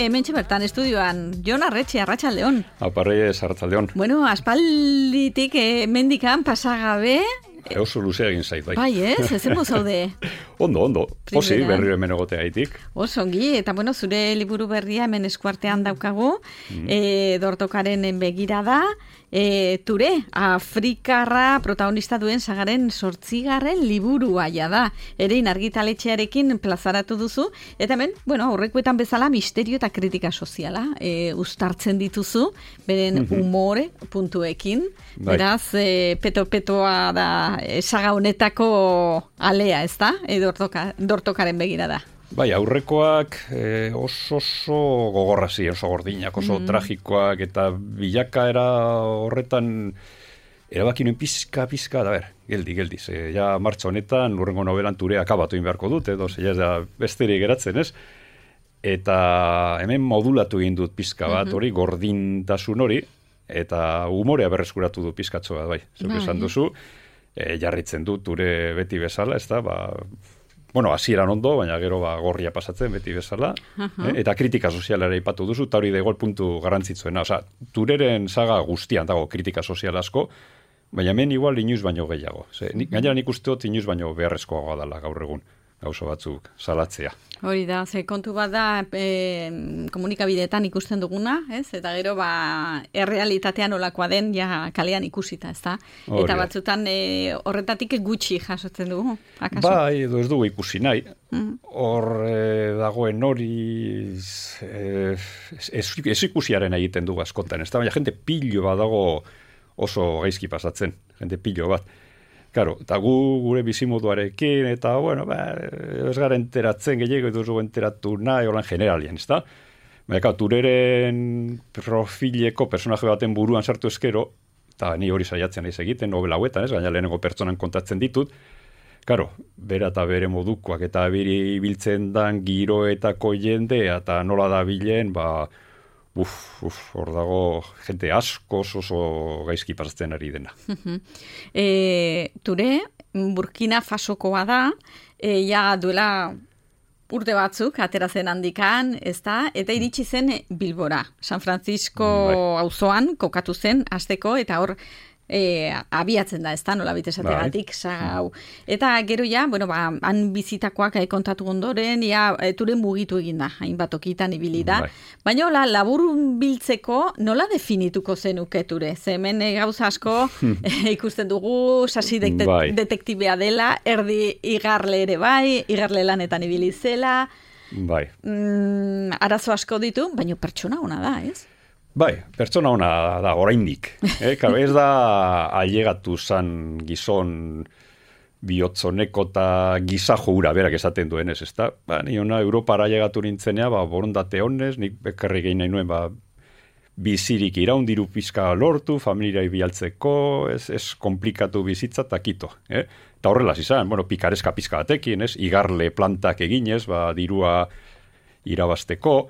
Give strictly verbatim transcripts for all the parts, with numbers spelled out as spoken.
Hementxe bertan estudioan, Jon Arretxe, Arratsaldeon. Aparrei Arratsaldeon. Bueno, aspalditik eh, mendikan pasagabe. Oso luzea egin zait, bai. Bai, ez? Ezen zaude. Ondo, ondo. Posi, berriro hemen egotea haitik. Oso ongi, eta bueno, zure liburu berria hemen eskuartean daukagu, mm. e, dortokaren begirada, e, ture, Afrikarra protagonista duen sagaren sortzigarren liburua da. Erein argitaletxearekin plazaratu duzu, eta hemen, bueno, aurrekoetan bezala misterio eta kritika soziala e, uztartzen dituzu, beren mm-hmm. umore puntuekin. Bai. Beraz, e, peto-petoa da e, saga honetako alea, ez da? E, dortoka, dortokaren begirada. Bai, aurrekoak eh, oso oso gogorrazi, oso gordinak, oso mm. tragikoak, eta bilakaera horretan erabaki nuen pizka, pizka, da ber, geldi, geldi, ze, ja martxa honetan, urrengo novelan turea akabatu inbeharko dut, edo, ze, ja, da, besterik geratzen, ez? Eta hemen modulatu egin dut pizka bat, mm-hmm. hori, gordintasun hori, eta umorea berreskuratu du pizkatxo bat, bai, zuk esan duzu, e, jarritzen dut ture beti bezala, ez da, ba, bueno, hasieran ondo, baina gero ba, gorria pasatzen beti bezala, uh-huh. eh, eta kritika sozialera ipatu duzu, eta hori dago puntu garrantzitsuena, osea, tureren saga guztian dago kritika sozial asko, baina hemen igual inoiz baino gehiago. Ze, nik, gainera nik uste dut inoiz baino beharrezkoagoa dela gaur egun, gauzo batzuk salatzea. Hori da, ze kontu bat da e, komunikabideetan ikusten duguna, ez? Eta gero ba errealitatean olakoa den ja kalean ikusita, ezta? Eta batzutan e, horretatik gutxi jasotzen dugu, akaso? Bai, edo ez dugu ikusi nahi. Hor mm. e, dagoen hori e, ez, ez ikusiaren egiten dugu askotan, ezta? Baina jente pilo bat dago oso gaizki pasatzen, jente pilo bat. Claro, eta gu gure bizimoduarekin, eta, bueno, ba, ez gara enteratzen gehiago, edo zugu enteratu nahi, holan generalien, ez da? Baina, tureren profileko personaje baten buruan sartu eskero, eta ni hori saiatzen naiz egiten, novela hauetan, ez? Gaina lehenengo pertsonan kontatzen ditut, claro, bera eta bere modukoak, eta biri biltzen dan giroetako jendea, eta nola da bilen, ba, uf, uf, hor dago jente asko oso gaizki pasatzen ari dena. e, ture, Burkina Fasokoa da, e, ja duela urte batzuk, atera zen handikan, ez da, eta iritsi zen Bilbora. San Francisco auzoan kokatu zen, hasteko, eta hor, E, abiatzen da, ez da, nola bitezategatik, sagau. Eta gero ja, bueno, ba, han bizitakoak kontatu ondoren, ja, e, ture mugitu egin da, hainbat okitan ibili da. Baina, hola, labur biltzeko, nola definituko zenuke ture? Ze hemen e, gauza asko e, ikusten dugu, sasi de- detektibea dela, erdi igarle ere bai, igarle lanetan ibili zela. Bai. Mm, arazo asko ditu, baina pertsona ona da, ez? Bai, pertsona ona da, oraindik. Eh? Ez da ailegatu zan gizon bihotzoneko eta gizajo hura berak esaten duenez, ez da? Ba, ni ona Europara ailegatu nintzenea, ba, borondate honez, nik bekarri gehi nahi nuen, ba, bizirik iraundiru pizka lortu, familiai bialtzeko, ez, ez komplikatu bizitza eta kito. Eh? Eta horrela izan, bueno, pikareska pizka batekin, ez? Igarle plantak eginez, ba, dirua irabasteko,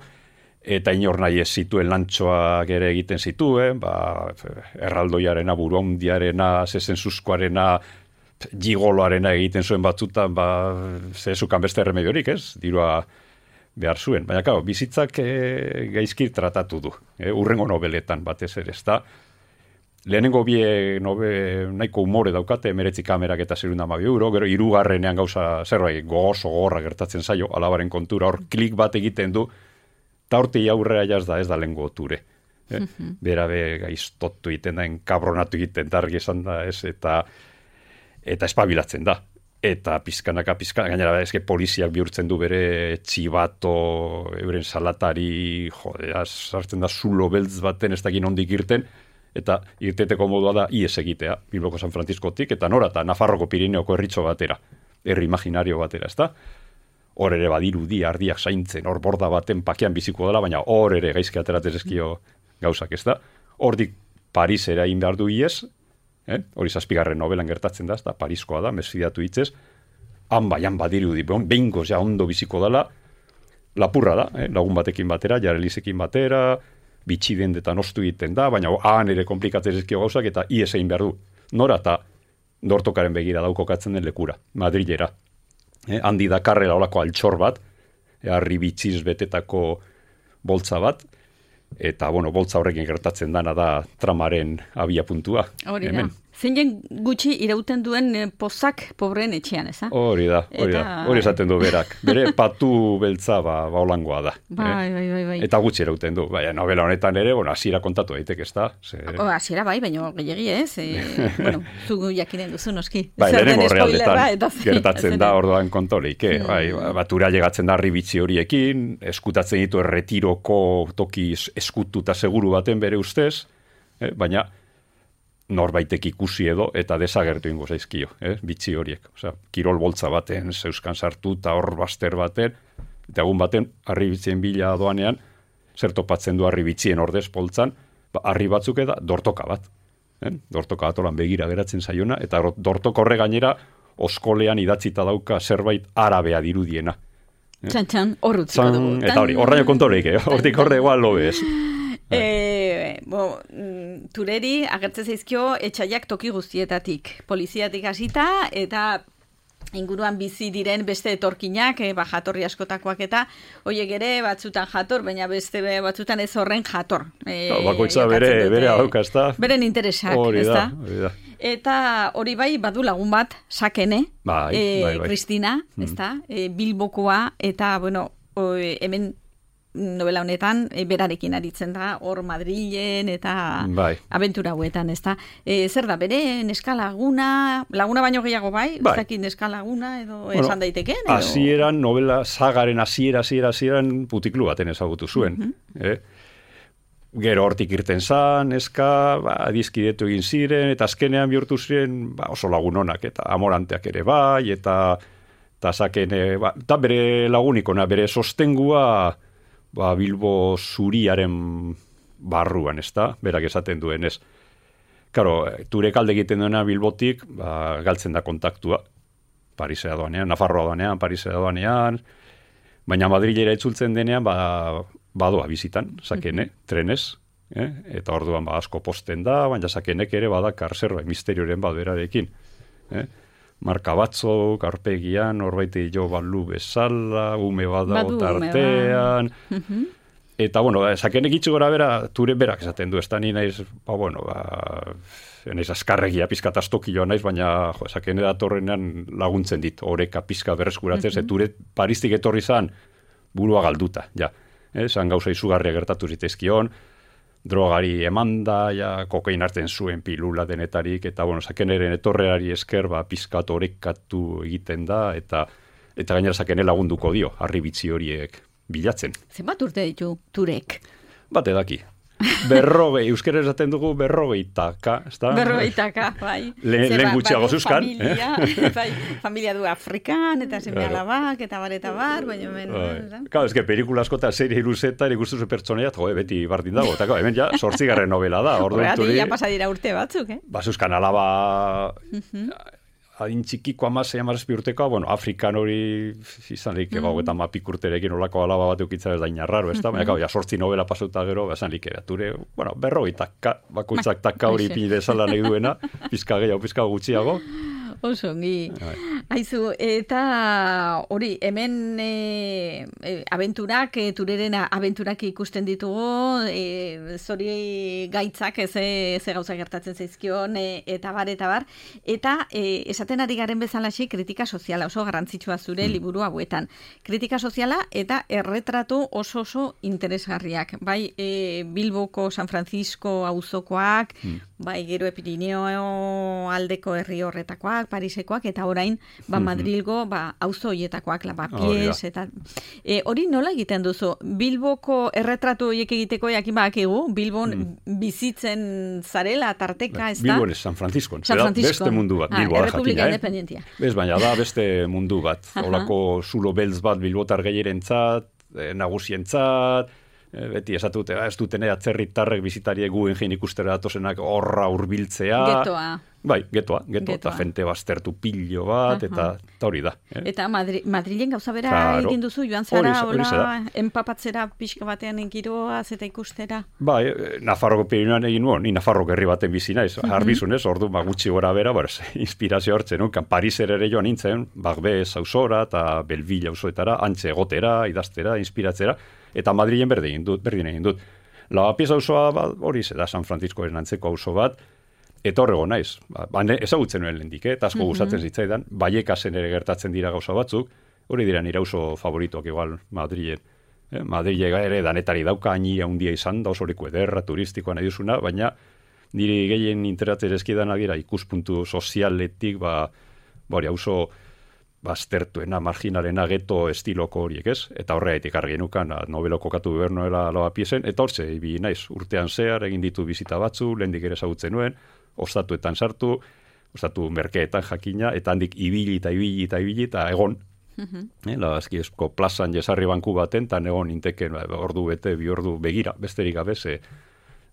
eta inor nahi ez zituen lantxoak ere egiten zituen, ba, erraldoiarena, buruondiarena, zezenzuzkoarena, gigoloarena egiten zuen batzutan, ba, zezukan beste remediorik, ez? Dirua behar zuen. Baina, kao, bizitzak e, gaizki tratatu du, e, urrengo nobeletan batez ere, ez da. Lehenengo bie nobe, nahiko umore daukate, emeretzi kamerak eta zerunda amabi euro, gero hirugarrenean gauza zerbait gogoso gogorra gertatzen zaio, alabaren kontura, hor klik bat egiten du, eta horti aurrera jaz da, ez da lengo ture. Eh? Mm-hmm. Bera be gaiztotu egiten da, enkabronatu egiten da, argi esan da, ez, eta, eta espabilatzen da. Eta pizkanaka, pizkanaka, gainera, eske poliziak bihurtzen du bere txibato, euren salatari, jode, sartzen da zulo beltz baten, ez dakin ondik irten, eta irteteko modua da ies egitea, Bilboko San Franciscotik, eta nora, eta Nafarroko Pirineoko herritxo batera, herri imaginario batera, ez da? Hor ere badirudi ardiak zaintzen, hor borda baten pakean biziko dela, baina hor ere gaizki ateratzen ezkio gauzak, ez da? Hordik Parisera egin behar du iez, eh? Hori zazpigarren novelan gertatzen da, ez da, Pariskoa da, mesfidatu hitzez, han bai, han badirudi, behingoz ja ondo biziko dela, lapurra da, eh? Lagun batekin batera, jarelizekin batera, bitxidendetan ostu egiten da, baina han ere komplikatzen ezkio gauzak, eta iez egin behar du. Nora eta dortokaren begira daukokatzen den lekura, Madrilera. Eh, handi dakarrela olako altxor bat, harri bitxiz betetako boltza bat, eta, bueno, boltza horrekin gertatzen dana da tramaren abia puntua. Hori da. Zein gutxi irauten duen pozak pobreen etxean, eza? Hori da, hori da. Hori esaten du berak. Bere patu beltza ba, ba holangoa da. Bai, bai, bai, bai. Eta gutxi irauten du. Baina novela honetan ere, bueno, hasiera kontatu daiteke, ez da? Ze... O, hasiera bai, baina gehiagi ez. E, bueno, zu jakinen duzu noski. Bai, lehenengo realdetan gertatzen da orduan kontorik. Eh? Bai, batura llegatzen da ribitzi horiekin, eskutatzen ditu erretiroko toki eskututa seguru baten bere ustez, eh? Baina norbaitek ikusi edo eta desagertu ingo zaizkio, eh? Bitzi horiek. Osea, kirol boltza baten, zeuskan sartu eta hor baster baten, eta egun baten, harri bitzien bila doanean, zer topatzen du harri bitzien ordez poltzan, ba, harri batzuk eda dortoka bat. Eh? Dortoka bat oran begira geratzen zaiona, eta dortoko horre gainera oskolean idatzita dauka zerbait arabea dirudiena. Eh? Txan, txan, horrutziko dugu. Eta hori, horraino kontoreik, eh? Hortik horre egual lo bez. E, bo, tureri agertzen zaizkio etxaiak toki guztietatik. Poliziatik hasita eta inguruan bizi diren beste etorkinak, e, ba, jatorri askotakoak eta hoiek ere batzutan jator, baina beste batzutan ez horren jator. E, no, bakoitza bere, bere adauka, ez da? Beren interesak, hori ez da? Hori da. Eta hori bai, badu lagun bat, Sakene, bai, e, bai, bai. Kristina, mm. ez da? E, Bilbokoa, eta, bueno, o, hemen novela honetan, e, berarekin aritzen da, hor Madrilen eta bai. abentura hauetan, ez da. E, zer da, bere neska laguna, laguna baino gehiago bai, bai. Ez dakit neska laguna edo bueno, esan daiteken? Edo... Hasieran, novela sagaren hasiera, hasiera, hasieran putiklu baten ezagutu zuen. Mm-hmm. eh? Gero hortik irten zan, neska, ba, dizkidetu egin ziren, eta azkenean bihurtu ziren ba, oso lagunonak, eta amoranteak ere bai, eta, eta Sakene, ba, eta bere lagunikona, bere sostengua, ba, Bilbo zuriaren barruan, ez da? Berak esaten duen, ez? Karo, ture kalde egiten duena Bilbotik, ba, galtzen da kontaktua. Parisea doanean, Nafarroa doanean, Parisea doanean, baina Madrilera itzultzen denean, ba, badoa bizitan, Sakene, mm-hmm. trenez, eh? Eta orduan ba, asko posten da, baina Sakenek ere badakar zerbait misterioren bat berarekin. Eh? Marka batzuk, arpegian, horbaite jo balu bezala, ume bada tartean. Ba. Eta, bueno, Sakenek itxu gora bera, ture berak esaten du, ez da ni naiz, ba, bueno, ba, naiz askarregia pizkat astokioa naiz, baina jo, Sakene datorrenean laguntzen dit, oreka pizka berreskuratzen, uh-huh. ture Paristik etorri zan, burua galduta, ja. Eh, zan gauza izugarria gertatu zitezkion, drogari emanda, ja, kokain hartzen zuen pilula denetarik, eta, bueno, Sakeneren etorreari esker, ba, pizkat orekatu egiten da, eta eta gainera Sakene lagunduko dio, harri bitzi horiek bilatzen. Zenbat urte ditu turek? Bat edaki. Berrogei, euskera esaten dugu berrogeitaka, ez da? Berrogeitaka, bai. Lehen gutxiago zuzkan. Familia, eh? bai, familia du Afrikan, eta seme alabak, eta bar, eta bar, baina hemen... Bai. Claro, es que pelikula asko eta serie iruzetan ikustu zu pertsonaia, jo, beti bardin dago, eta hemen ja, sortzigarren novela da. Horregatik, ja pasadira urte batzuk, eh? Ba, zuzkan alaba... Uh-huh. Adin txikiko amazei amazazpi urtekoa, bueno, Afrikan hori izan lik, mm. eta mapik urterekin olako alaba bat eukitza ez da inarraro, ez da? Mm-hmm. Baina, ja, sortzi novela pasauta gero, esan lik, ture, bueno, berroi taka, bakoitzak taka hori pini dezala nahi duena, pizka gehiago, pizka gutxiago. Oso, ongi. Aizu, eta hori, hemen e, e, abenturak, e, tureren abenturak ikusten ditugu, e, zori gaitzak, ez ze gauza gertatzen zaizkion, e, eta bar, eta bar, eta e, esaten ari garen bezalaxi kritika soziala, oso garrantzitsua zure mm. liburu hauetan. Kritika soziala eta erretratu oso oso interesgarriak. Bai, e, Bilboko, San Francisco auzokoak, mm. bai, gero Pirineo aldeko herri horretakoak, Parisekoak, eta orain, ba, Madrilgo, ba, auzo hoietakoak, Lavapiés, eta... E, hori nola egiten duzu? Bilboko erretratu horiek egiteko jakin badakigu, Bilbon mm. bizitzen zarela, tarteka, ez da? Bilbon ez, San Francisco. San Francisco. Beste mundu bat, ah, Bilboa Errepublika jakin, independentia. Eh? Ez, baina da beste mundu bat. Olako zulo beltz bat Bilbotar gehierentzat, eh, nagusientzat, beti esatute, ez dutene atzerritarrek bizitariek guen jein ikustera datozenak horra hurbiltzea. Getoa. Bai, getoa, getoa, eta jente baztertu pilo bat, eta, eta hori da. Eh? Eta Madri, Madrilen gauza bera claro. egin duzu, joan zara, hola, empapatzera pixka batean giroaz eta ikustera? Bai, Nafarroko Pirinioan egin nuen, ni Nafarroko herri baten bizi naiz, uh -huh. arbizunez, ordu, ba, gutxi gora bera, bar, inspirazio hartzen, no? Pariser ere joan nintzen, Bagbez auzora, eta Belville auzoetara, antxe egotera, idaztera, inspiratzera, eta Madrilen berdin egin dut, berdin egin dut. Lavapiés auzoa, ba, hori ze da, San Franciscoren antzeko auzo bat, eta horrego naiz, ba, ezagutzen nuen lehendik, eh? eta asko gustatzen mm -hmm. zitzaidan, Baiekasen ere gertatzen dira gauza batzuk, hori dira nire auzo favoritoak igual Madrilen. Eh? Madrile ere danetari dauka, haini handia izan da, oso leku ederra, turistikoa nahi duzuna, baina niri gehien interesatzen ezkidan dira ikuspuntu sozialetik, ba, bori, auzo baztertuena, marginalena, geto estiloko horiek, ez? Eta horregatik argi nukan, nobelo kokatu behar noela Lavapiésen, eta hortze, ibi naiz, urtean zehar, egin ditu bizita batzu, lehendik ere ezagutzen nuen, ostatuetan sartu, ostatu merkeetan jakina, eta handik ibili eta ibili eta ibili eta egon. Uh-huh. Eh, Lagazkiesko plazan jesarri banku baten, eta egon inteken ordu bete, bi ordu begira, besterik gabe, ze,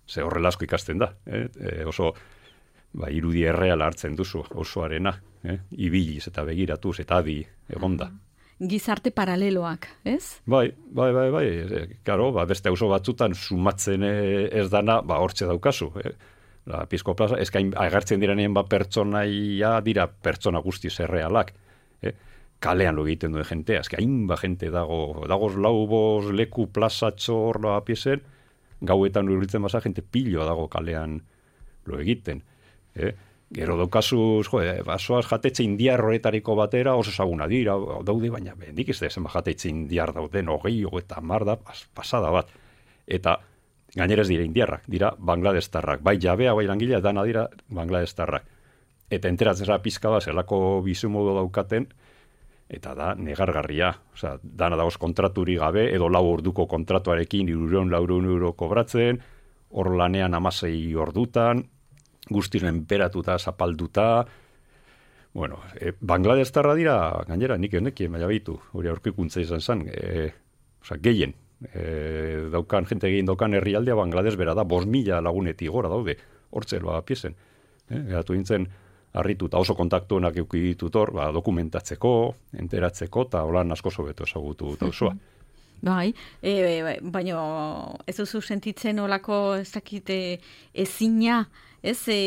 ze horrela asko ikasten da. Eh? E, oso ba, irudi erreala hartzen duzu, osoarena, eh? ibiliz eta begiratuz, eta adi egonda. Uh-huh. Gizarte paraleloak, ez? Bai, bai, bai, bai, e, karo, ba, beste auzo batzutan sumatzen ez dana, ba, hortxe daukazu, eh? La Pizko plaza, eskain agertzen direnean ba pertsonaia dira pertsona guztiz errealak. Eh? Kalean lo egiten duen jentea, eske hainba jente dago, dagoz lau boz leku plazatxo hor Lavapiésen, gauetan urbiltzen basa jente piloa dago kalean lo egiten. Eh? Gero daukazu, jo, eh, basoaz jatetxe indiar horretariko batera, oso ezaguna dira, daude, baina bendik ez da ezen jatetxe indiar dauden, hogei, hogeita mar da, pasada bat. Eta gainera ez dira indiarrak, dira bangladestarrak. Bai jabea, bai langilea, dana dira bangladestarrak. Eta enteratzen zara pizka bat, zelako bizimodo daukaten, eta da negargarria. Osea, dana dagoz kontraturi gabe, edo lau orduko kontratuarekin, irureun, laureun euro kobratzen, hor lanean amasei ordutan, guztiren enperatuta, zapalduta. Bueno, e, bangladestarra dira, gainera, nik honekien, baina behitu, hori aurkikuntza izan zen, e, osea, gehien. E, daukan, jente egin daukan herrialdea Bangladesh bera da, bost mila lagunetik gora daude, hortze Lavapiésen. E, Geratu nintzen, harrituta oso kontaktuenak euki ditut hor, ba, dokumentatzeko, enteratzeko, eta holan asko sobeto ezagutu dauzoa. Bai, e, baina ez duzu sentitzen olako ez dakite ezina, ez, e,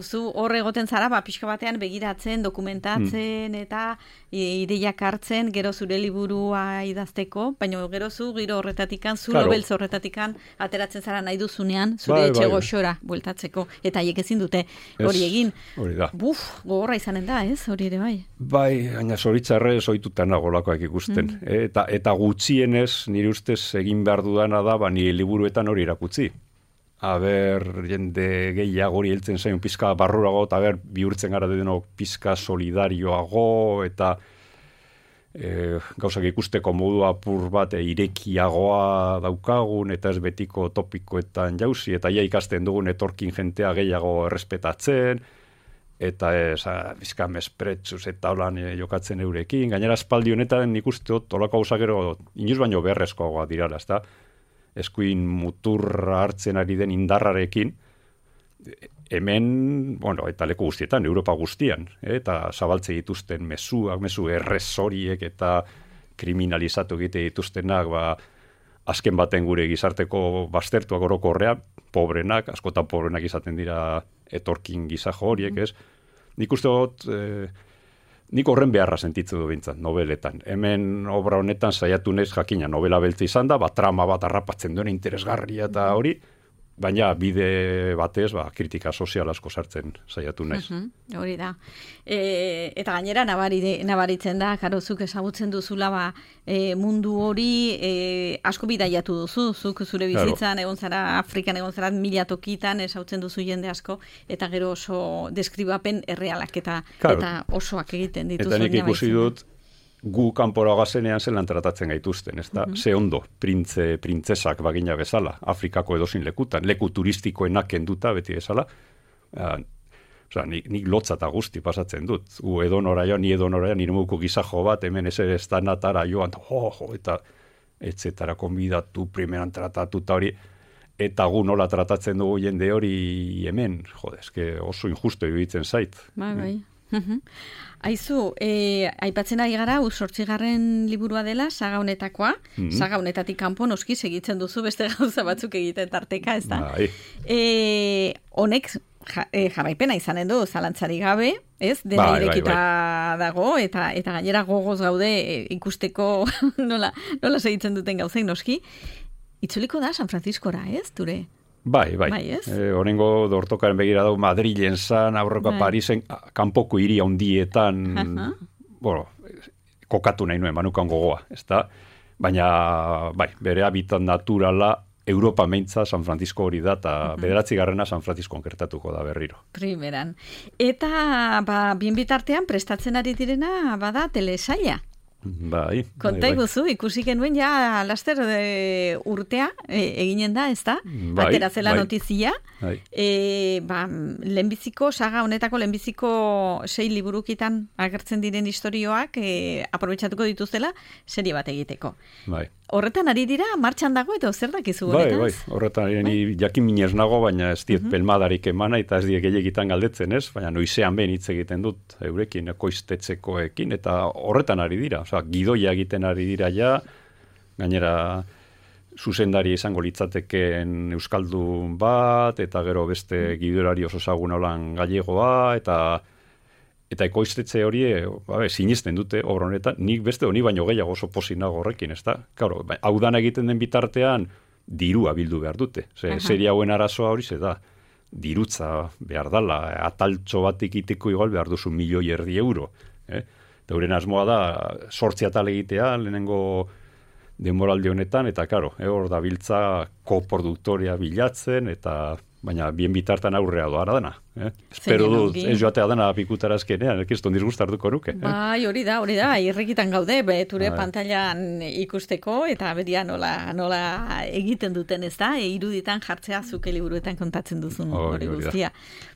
zu hor egoten zara, ba, pixka batean begiratzen, dokumentatzen, hmm. eta ideiak hartzen, gero zure liburua idazteko, baina gero zu giro horretatikan, zu claro. Beltz horretatikan, ateratzen zara nahi duzunean, zure bai, etxe bai, goxora bueltatzeko, eta haiek ezin dute hori egin. Hori da. Buf, gogorra izanen da, ez, hori ere bai. Bai, baina zoritzarrez ohituta nagolakoak ikusten. Hmm. E, eta, eta gutxienez, nire ustez egin behar dudana da, ba, nire liburuetan hori erakutzi. Aber, jende gehiago hori heltzen zain pizka barrurago, eta aber, bihurtzen gara denok pizka solidarioago, eta e, gauzak ikusteko modu apur bat e, irekiagoa daukagun, eta ez betiko topikoetan jauzi, eta ja ikasten dugun etorkin jentea gehiago errespetatzen, eta ez, pizka mespretsuz eta holan e, jokatzen eurekin. Gainera, espaldi honetan nik uste dut, olako gauzak gero, inoiz baino beharrezkoagoa dirala, ez da? Eskuin muturra hartzen ari den indarrarekin, hemen, bueno, eta leku guztietan, Europa guztian, eh, eta zabaltze dituzten mezuak, mezu errezoriek eta kriminalizatu egite dituztenak, ba, azken baten gure gizarteko baztertuak orokorrean, pobrenak, askotan pobrenak izaten dira etorkin gizajo horiek, ez? Nik uste dut, eh, nik horren beharra sentitzen du bintzat, nobeletan. Hemen obra honetan saiatu naiz jakina, novela beltza izan da, ba, trama bat harrapatzen duen interesgarria eta hori, baina bide batez, ba, kritika sozial asko sartzen saiatu naiz. Uh-huh, hori da. E, eta gainera nabari, nabaritzen da, karozuk ezagutzen duzula ba, e, mundu hori e, asko bidaiatu duzu, zuk zure bizitzan, claro. Egon zara, Afrikan egon zara mila tokitan, ezagutzen duzu jende asko, eta gero oso deskribapen errealak eta, claro. Eta osoak egiten dituzu. Eta nik ikusi dut, gu kanpora gazenean zelan tratatzen gaituzten, ez da? Uh-huh. Ze ondo, printze, printzesak bagina bezala, Afrikako edozin lekutan, leku turistikoenak kenduta beti bezala, uh, oza, nik, nik lotza eta guzti pasatzen dut. Gu edonora joan, ni edonora joan, nire muko gizajo bat, hemen ez ere estanatara joan, jo, jo, eta etzetara konbidatu, primeran tratatu, eta hori, eta gu nola tratatzen dugu jende hori hemen, jode, eske oso injusto iruditzen zait. Bai, bai. Aizu, e, aipatzen ari gara, zortzigarren liburua dela, saga honetakoa, mm -hmm. saga honetatik kanpo noski segitzen duzu beste gauza batzuk egiten tarteka, ez da? Bai. E, honek ja, e, jarraipena izanen du, zalantzari gabe, ez? Dena bai, irekita bai, bai. dago, eta eta gainera gogoz gaude e, ikusteko nola, nola segitzen duten gauzei noski. Itzuliko da San Franciscora, ez, Ture? Bai, bai. bai e, Horengo dortokaren begira dau Madrilen zan, aurreko bai. Parisen, kanpoko hiri handietan, uh-huh. bueno, kokatu nahi nuen, manukan gogoa, ez da? Baina, bai, bere habitat naturala, Europa meintza San Francisco hori da, eta uh-huh. bederatzi garrena San Francisco gertatuko da berriro. Primeran. Eta, ba, bien bitartean, prestatzen ari direna, bada, telesaila. Bai. Konta iguzu, bai. Ikusi genuen ja laster de urtea e, eginen da, ez da? Bai, atera zela bai. notizia. Bai. E, ba, lehenbiziko, saga honetako lehenbiziko sei liburukitan agertzen diren istorioak e, aprobetxatuko dituzela serie bat egiteko. Bai. Horretan ari dira, martxan dago eta zer dakizu bai, honetaz? Bai, horretan ari bai? jakin minez nago, baina ez diet uh-huh. pelmadarik emana eta ez diek gehiagitan galdetzen ez, baina noizean behin hitz egiten dut eurekin, ekoiztetzekoekin, eta horretan ari dira. Osa, gidoia egiten ari dira ja, gainera zuzendari izango litzateken euskaldun bat, eta gero beste gidorari oso zagun holan gallegoa, eta eta ekoiztetxe hori, babe, sinisten dute obra honetan, nik beste honi baino gehiago oso pozik nago horrekin, ez da? Claro, hau dan egiten den bitartean, dirua bildu behar dute. Ze, serie hauen arazoa hori ze da, dirutza behar dala, ataltxo bat ikiteko igual behar duzu milioi erdi euro. Eh? Eta euren asmoa da, sortzi atal egitea, lehenengo denboraldi honetan, eta karo, eh, hor da biltza koproduktoria bilatzen, eta baina bien bitartan aurrea doara dana. Eh? Espero dut, ez joatea dana pikutarazkenean, elkizton disgustartuko nuke. Eh? Bai, hori da, hori da, irrekitan gaude, beture bai. Pantailan ikusteko, eta bedia nola, nola egiten duten ez da, e, iruditan jartzea zuke liburuetan kontatzen duzun oh, hori guztia.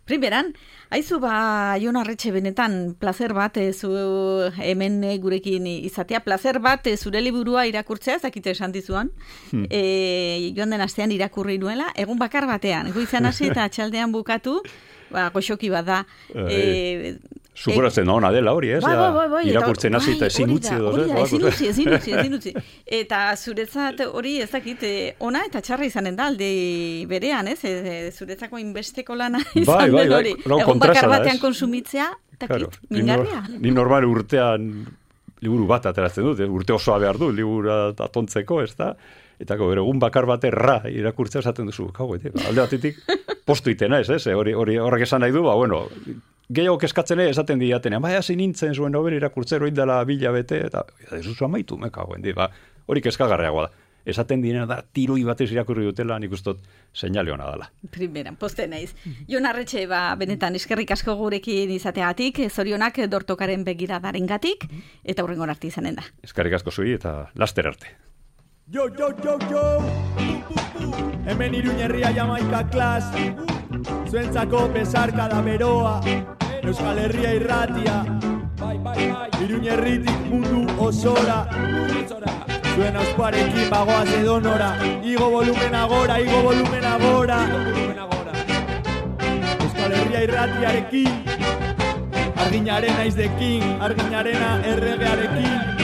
Primeran, haizu ba, Jon Arretxe benetan placer bat e, zu hemen e, gurekin izatea, placer bat e, zure liburua irakurtzea, zakite esan dizuan, hmm. e, joan den astean irakurri nuela, egun bakar batean, goizan hasi eta atxaldean bukatu, ba, goxoki bat da. E, Superatzen da ona dela hori, ez? Bai, bai, bai, bai, irakurtzen hasi eta ezin utzi edo. Hori da, ezin utzi, ezin utzi, ezin utzi. Eta zuretzat hori ez dakit ona eta txarra izanen da alde berean, ez? E, zuretzako inbesteko lana izan bai, bai, den hori. No, egun bakar batean konsumitzea, takit, claro, mingarria. Ni normal urtean liburu bat ateratzen dut, urte osoa behar du, libura atontzeko, ez da? Eta gero egun bakar bate ra irakurtzea esaten duzu. Kau, alde batetik postu itena ez, ez? Hori, hori horrek esan nahi du, ba, bueno, gehiago keskatzen esaten diatenean, bai, hasi nintzen zuen nobel irakurtzero indela bila bete, eta ez duzu amaitu, me kagoen, ba, hori keskagarriagoa da. Esaten direna da, tiroi batez irakurri dutela, nik ustot seinale hona dela. Primeran, poste naiz. Jon Arretxe, ba, benetan, eskerrik asko gurekin izateatik, zorionak dortokaren begiradaren gatik, eta hurrengon arte izanen da. Eskerrik asko zui, eta laster arte. Yo, yo, yo, yo, hemen Iruñerria Jamaika klas, zuentzako besarka da beroa, Euskal Herria irratia, bai, bai, bai, Iruñerritik mundu osora, zuen auspuarekin bagoaz edonora, igo volumen agora, igo volumen agora, Euskal Herria irratiarekin, arginaren naizdekin, arginarena erregearekin,